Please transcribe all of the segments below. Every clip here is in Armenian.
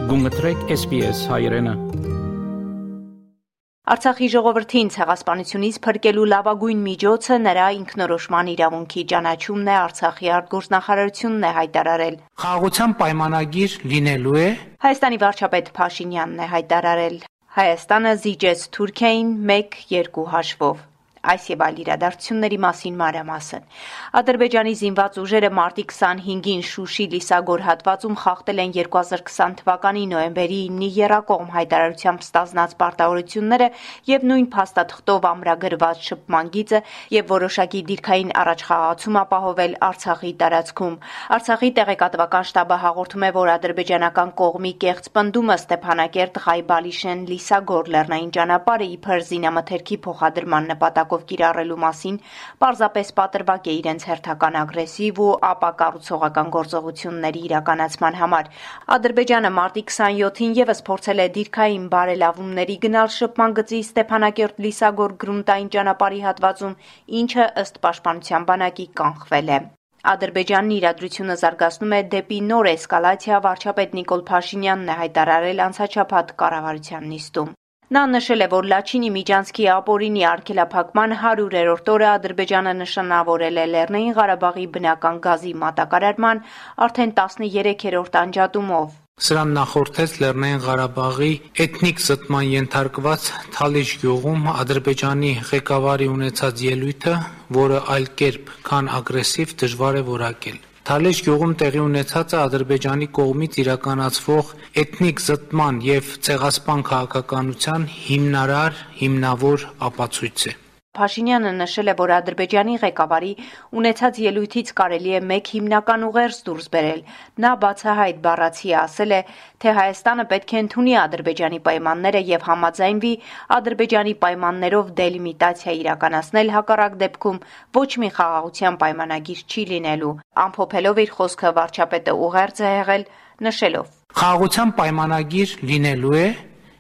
Գումտրեք SPS հայրենը։ Արցախի ժողովրդին ցեղասպանությունից փրկելու լավագույն միջոցը նրա ինքնորոշման իրավունքի ճանաչումն է, Արցախի արտգործնախարարությունն է հայտարարել։ Խաղաղության պայմանագիր լինելու է։ Հայաստանի վարչապետ Փաշինյանն է հայտարարել։ Հայաստանը զիջեց Թուրքիային 1-2 հաշվով։ Այս եւ այլ իրադարձությունների մասին մանրամասն։ Ադրբեջանի զինված ուժերը մարտի 25-ին Շուշի Լիսագոր հատվածում խախտել են 2020 թվականի նոյեմբերի 9-ի եռակողմ հայտարարությամբ ստանձնած պարտավորությունները եւ նույն փաստաթղթով ամրագրված շփման գիծը եւ որոշակի դիրքային առաջխաղացում ապահովել Արցախի տարածքում։ Արցախի տեղեկատվական շտաբը հաղորդում է, որ ադրբեջանական կողմի կեղծ պնդումը Ստեփանակերտ Ղայբալիշեն Լիսագոր լեռնային ճանապարհը իբր զինամթերքի փոխադրման նպատակ կիրառելու մասին պարզապես պատրվակ է իրենց հերթական ագրեսիվ ու ապակառուցողական գործողությունների իրականացման համար։ Ադրբեջանը մարտի 27-ին եւս փորձել է դիրքային բարելավումների գնալ շփման գծի Ստեփանակերտ Լիսագոր գրունտային ճանապարհի հատվածում, ինչը ըստ պաշտպանության բանակի կանխվել է։ Ադրբեջանն իրադրությունը զարգացնում է դեպի նոր էսկալացիա, վարչապետ Նիկոլ Փաշինյանն է հայտարարել անցաչափած կառավարության նիստում։ Նա նշել է, որ Լաչինի Միջանցքի ապօրինի արգելափակման 100-րդ օրը Ադրբեջանը նշանավորել է Լեռնային Ղարաբաղի բնական գազի մատակարարման արդեն 13-րդ անջատումով։ Սրան նախորդեց Լեռնային Ղարաբաղի էթնիկ զտման ենթարկված Թալիշ գյուղում Ադրբեջանի ղեկավարի ունեցած ելույթը, որը այլ կերպ, քան ագրեսիվ, դժվար է որակել։ Թալիշ գյուղում տեղի ունեցածը Ադրբեջանի կողմից իրականացվող էթնիկ զտման եւ ցեղասպան քաղաքականության հիմնավոր ապացույց է։ Փաշինյանը նշել է, որ Ադրբեջանի ղեկավարի ունեցած ելույթից կարելի է մեկ հիմնական ուղերձ դուրս բերել։ Նա բացահայտ բառացի ասել է, թե Հայաստանը պետք է ընդունի Ադրբեջանի պայմանները եւ համաձայնվի Ադրբեջանի պայմաններով դելիմիտացիա իրականացնել, հակառակ դեպքում ոչ մի խաղաղության պայմանագիր չի լինելու։ Ամփոփելով իր խոսքը վարչապետը ուղերձ է եղել, նշելով. Խաղաղության պայմանագիր լինելու է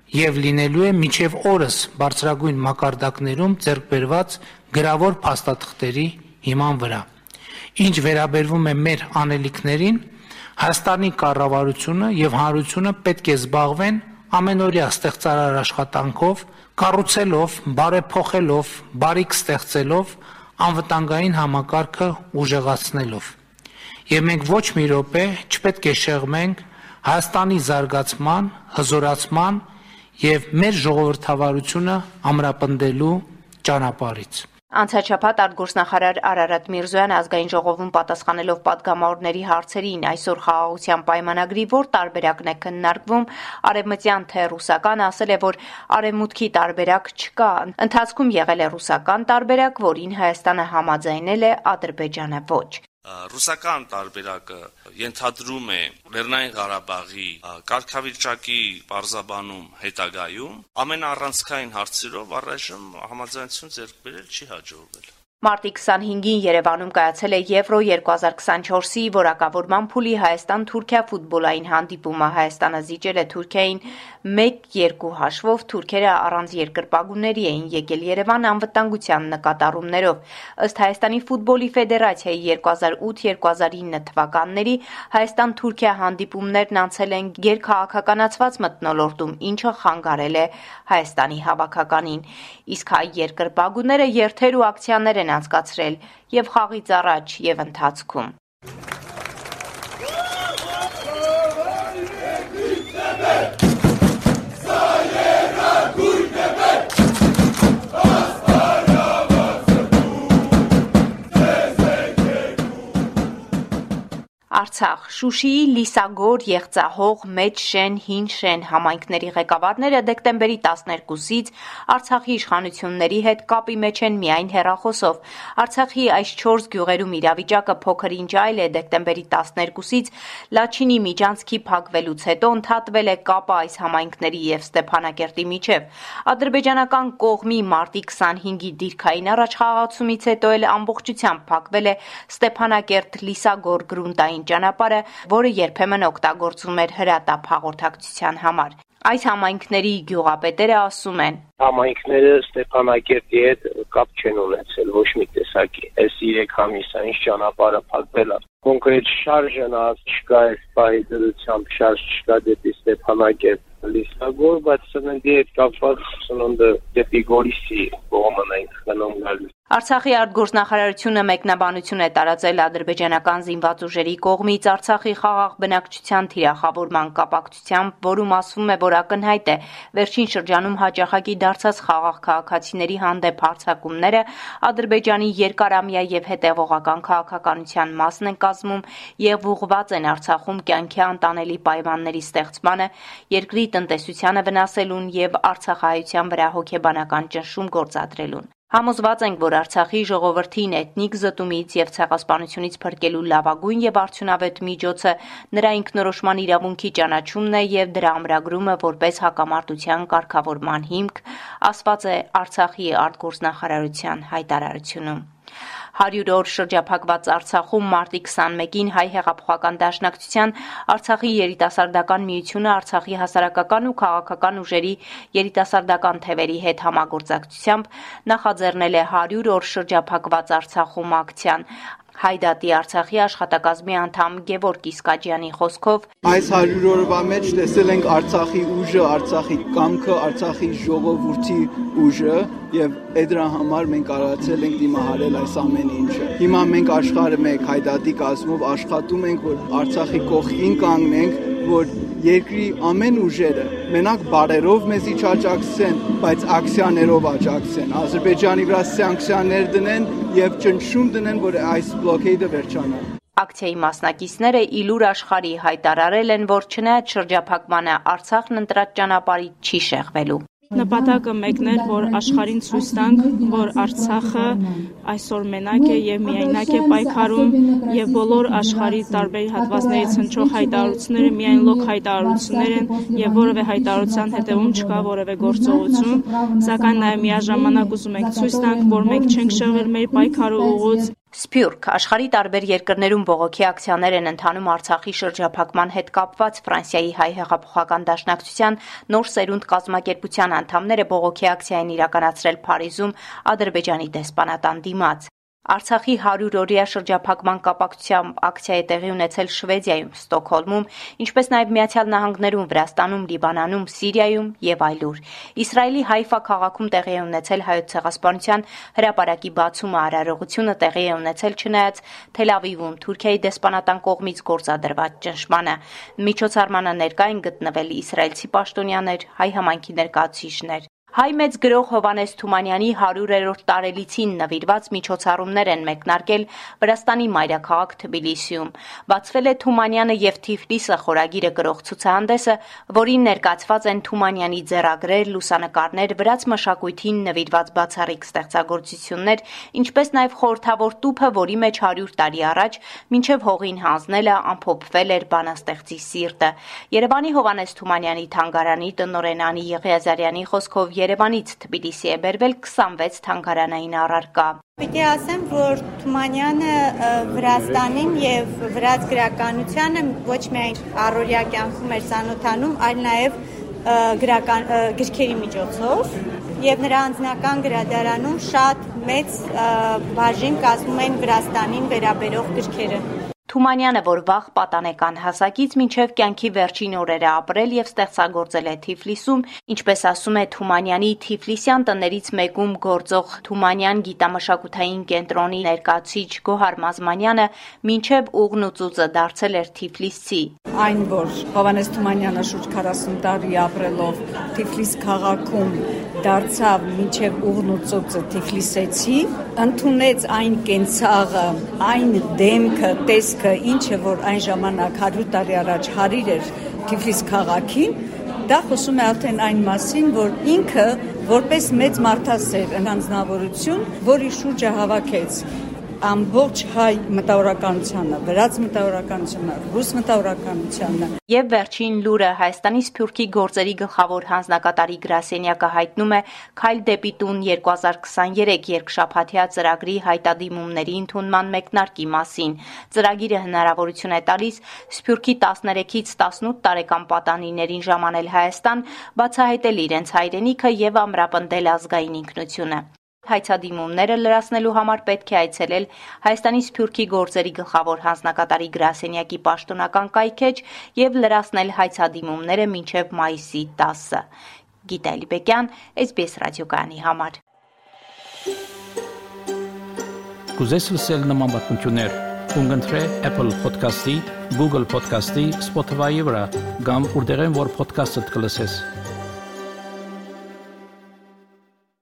եւ լինելու է մինչեւ օրս բարձրագույն մակարդակներում ձեռք բերված գրավոր փաստաթղթերի հիման վրա։ Ինչ վերաբերվում է մեր անելիքներին, Հայաստանի կառավարությունը եւ հանրությունը պետք է զբաղվեն ամենօրյա ստեղծարար աշխատանքով, կառուցելով, բարեփոխելով, բարիք ստեղծելով, անվտանգային համակարգը ուժեղացնելով։ Եվ մենք ոչ մի րոպե չպետք է շեղմենք Հայաստանի զարգացման, հզորացման եւ մեր ժողովրդավարությունը ամրապնդելու ճանապարհից։ Անցաչափած արտգործնախարար Արարատ Միրզոյանը ազգային ժողովում պատասխանելով պատգամավորների հարցերին այսօր խաղաղության պայմանագրի որ տարբերակն է քննարկվում, արևմտյան թե ռուսական, ասել է, որ արևմուտքի տարբերակ չկա, ընթացքում եղել է ռուսական տարբերակ, որին Հայաստանը համաձայնել է, Ադրբեջանը ոչ։ Ռուսական տարբերակը ենթադրում է Լեռնային Ղարաբաղի կարգավիճակի պարզաբանում հետագայում ամենաառանցքային հարցերով առայժմ համաձայնություն ձեռք բերել չի հաջողվել։ Մարտի 25-ին Երևանում կայացել է Եվրո 2024-ի որակավորման փուլի Հայաստան-Թուրքիա ֆուտբոլային հանդիպումը։ Հայաստանը զիջել է Թուրքիային 1-2 հաշվով, թուրքերը առանց երկրպագուների էին եկել Երևան անվտանգության նկատառումներով։ Ըստ Հայաստանի ֆուտբոլի ֆեդերացիայի 2008-2009 թվականների Հայաստան-Թուրքիա հանդիպումներն անցել են գերքաղաքականացված մթնոլորտում, ինչը խանգարել է Հայաստանի հավաքականին։ Իսկ հայ երկրպագուները երթեր ու ակցիաներ են անցկացրել եւ խաղից առաջ եւ ընթացքում։ Արցախ, Շուշիի, Լիսագոր, Եղծահող, Մեծ Շեն, Հին Շեն համայնքների ղեկավարները դեկտեմբերի 12-ից Արցախի իշխանությունների հետ կապի մեջ են միայն հեռախոսով։ Արցախի այս 4 գյուղերում իրավիճակը փոքր-ինչ այլ է։ Դեկտեմբերի 12-ից Լաչինի Միջանցքի փակվելուց հետո ընդհատվել է կապը այս համայնքների եւ Ստեփանակերտի միջև։ Ադրբեջանական կողմի մարտի 25-ի դիրքային առաջխաղացումից հետո էլ ամբողջությամբ փակվել է Ստեփանակերտ-Լիսագոր գրունտային ճանապարհը, ճանապարհը, որը երբեմն օգտագործվում էր հրատապ հաղորդակցության համար։ Այս համայնքների գյուղապետերը ասում են. Համայնքները Ստեփանակերտի հետ կապ չեն ունեցել ոչ մի տեսակի։ Այս 3 ամիսային ճանապարհը փակվել է։ Կոնկրետ շարժը չկա, այս պահի դրությամբ շարժ չկա դեպի Ստեփանակերտ Լիսագոր, բայց սննդի հետ կապված սնունդը դեպի Գորիսի կողմն ենք գնում գալիս։ Արցախի արտգործնախարարությունը մեկնաբանություն է տարածել ադրբեջանական զինված ուժերի կողմից Արցախի խաղաղ բնակչության թիրախավորման կապակցությամբ, որում ասվում է, որ ակնհայտ է վերջին շրջանում հաճախակի դարձած խաղաղ քաղաքացիների հանդեպ հարձակումները Ադրբեջանի երկարամյա եւ հետեւողական քաղաքականության մասն են կազմում եւ ուղղված են Արցախում կյանքի անտանելի պայմանների ստեղծմանը, երկրի տնտեսությանը վնասելուն եւ արցախահայության վրա հոգեբանական ճնշում գործադրելուն։ Համոզված ենք, որ Արցախի ժողովրդին էթնիկ զտումից եւ ցեղասպանությունից փրկելու լավագույն եւ արդյունավետ միջոցը նրա ինքնորոշման իրավունքի ճանաչումն է եւ դրա ամրագրումը որպես հակամարտության կարգավորման հիմք, ասված է Արցախի արտգործնախարարության հայտարարությունում։ 100 օր շրջափակված Արցախում մարտի 21-ին Հայ հեղափոխական դաշնակցության Արցախի երիտասարդական միությունը Արցախի հասարակական ու քաղաքական ուժերի երիտասարդական թևերի հետ համագործակցությամբ նախաձեռնել է 100 օր շրջափակված Արցախում ակցիան։ Հայդատի Արցախի աշխատակազմի անդամ Գևորգ Իսկաջյանի խոսքով այս 100 օրվա մեջ տեսել ենք Արցախի ուժը, Արցախի կամքը, Արցախի ժողովրդի ուժը եւ դրա համար մենք կարողացել ենք դիմահարել այս ամեն ինչը։ Հիմա մենք աշխարհը մեկ Հայդատի կազմով աշխատում ենք, որ Արցախի կողքին կանգնենք, որ երկրի ամեն ուժերը մենակ բարերով մեզի չաջակցեն, բայց ակցիաներով աջակցեն, Ադրբեջանի վրա սանկցիաներ դնեն եւ ճնշում դնեն, որ այս բլոքեյդը վերջանա։ Ակցիայի մասնակիցները իլուր աշխարհի հայտարարել են, որ չնայած շրջափակմանը Արցախն ընտրած ճանապարհից չի շեղվելու։ Նպատակը մեկն էր, որ աշխարհին ցույց տանք, որ Արցախը այսօր մենակ է եւ միայնակ է պայքարում եւ բոլոր աշխարհի տարբեր հատվածներից հնչող հայտարարությունները միայն լոկ հայտարարություններ են եւ որևէ հայտարարության հետեւում չկա որևէ գործողություն, սակայն նաեւ միաժամանակ ուզում ենք ցույց տանք, որ մենք չենք շեղվել մեր պայքարի ուղուց։ Սփյուռք աշխարհի տարբեր երկրներում բողոքի ակցիաներ են ընթանում Արցախի շրջափակման հետ կապված Ֆրանսիայի Հայ հեղափոխական դաշնակցության նոր սերունդ կազմակերպության անդամները բողոքի ակցիա են իրականացրել Փարիզում Ադրբեջանի դեսպանատան դիմաց։ Արցախի 100-օրյա շրջափակման կապակցությամբ ակցիա է տեղի ունեցել Շվեդիայում, Ստոկհոլմում, ինչպես նաև Միացյալ Նահանգներում, Վրաստանում, Լիբանանում, Սիրիայում եւ այլուր։ Իսրայելի Հայֆա քաղաքում տեղի է ունեցել հայոց ցեղասպանության հրապարակի բացումը, արարողությունը տեղի է ունեցել չնայած Թել Ավիվում Թուրքիայի դեսպանատան կողմից գործադրված ճնշմանը։ Միջոցառմանը ներկա են գտնվել իսրայելցի պաշտոնյաներ, հայ համայնքի ներկայացուցիչներ։ Հայ մեծ գրող Հովհաննես Թումանյանի 100-րդ տարելիցին նվիրված միջոցառումներ են մեկնարկել Վրաստանի մայրաքաղաք Թբիլիսիում։ Բացվել է Թումանյանը եւ Թիֆլիսը խորագիրը գրող ցուցահանդեսը, որին ներկայացված են Թումանյանի ձեռագրեր, լուսանկարներ, վրաց մշակույթին նվիրված բացառիկ ստեղծագործություններ, ինչպես նաեւ խորհրդավոր տուփը, որի մեջ 100 տարի առաջ մինչեւ հողին հանձնելը ամփոփվել էր բանաստեղծի սիրտը։ Երևանի Հովհաննես Թումանյանի թանգարանի տնօրեն Անի Եղիազարյանի խոսքով Երևանից Թբիլիսի է բերվել 26 թանգարանային առարկա։ Պիտի ասեմ, որ Թումանյանը Վրաստանին եւ վրաց գրականությանը ոչ միայն առօրյա կյանքում էր ծանոթանում, այլ նաեւ գրքերի միջոցով եւ նրա անձնական գրադարանում շատ մեծ բաժին կազմում են Վրաստանին վերաբերող գրքերը։ Թումանյանը, որ վաղ պատանեկան հասակից մինչև կյանքի վերջին օրերը ապրել եւ ստեղծագործել է Թիֆլիսում, ինչպես ասում է Թումանյանի Թիֆլիսյան տներից մեկում գործող Թումանյան գիտամշակութային կենտրոնի ներկայացուցիչ Գոհար Մազմանյանը, մինչև ուղն ու ծուծը դարձել էր Թիֆլիսցի։ Այն, որ Հովհաննես Թումանյանը շուրջ 40 տարի ապրելով Թիֆլիս քաղաքում դարձավ մինչև ուղն ու ծուծը Թիֆլիսեցի, ընդունեց այն կենցաղը, այն դեմքը, տեսքը, ինչը որ այն ժամանակ 100 տարի առաջ հարիր էր Թիֆլիս քաղաքին, դա խոսում է արդեն այն մասին, որ ինքը որպես մեծ մարդասեր անձնավորություն, որի շուրջը հավաքեց ամբողջ հայ մտավորականությանը, վրաց մտավորականությանը, ռուս մտավորականությանը։ Եվ վերջին լուրը Հայաստանի Սփյուռքի գործերի գլխավոր հանձնակատարի գրասենյակը հայտնում է «Քայլ դեպի տուն 2023» երկշաբաթյա ծրագրի հայտադիմումների ընդունման մեկնարկի մասին։ Ծրագիրը հնարավորություն է տալիս Սփյուռքի 13-ից 18 տարեկան պատանիներին ժամանել Հայաստան, բացահայտել իրենց հայրենիքը եւ ամրապնդել ազգային ինքնությունը։ Հայցադիմումները լրացնելու համար պետք է այցելել Հայաստանի Սփյուռքի գործերի գլխավոր հանձնակատարի գրասենյակի պաշտոնական կայքեջ եւ լրացնել հայցադիմումները մինչեւ մայիսի 10-ը։ Գիտա Լիբեկյան, SBS ռադիոկայանի համար։ Կուզես լսել նման բանություններ, կընտրե Apple Podcast-ի, Google Podcast-ի, Spotify-ի վրա, կամ որտեղեն որ podcast-ը կլսես։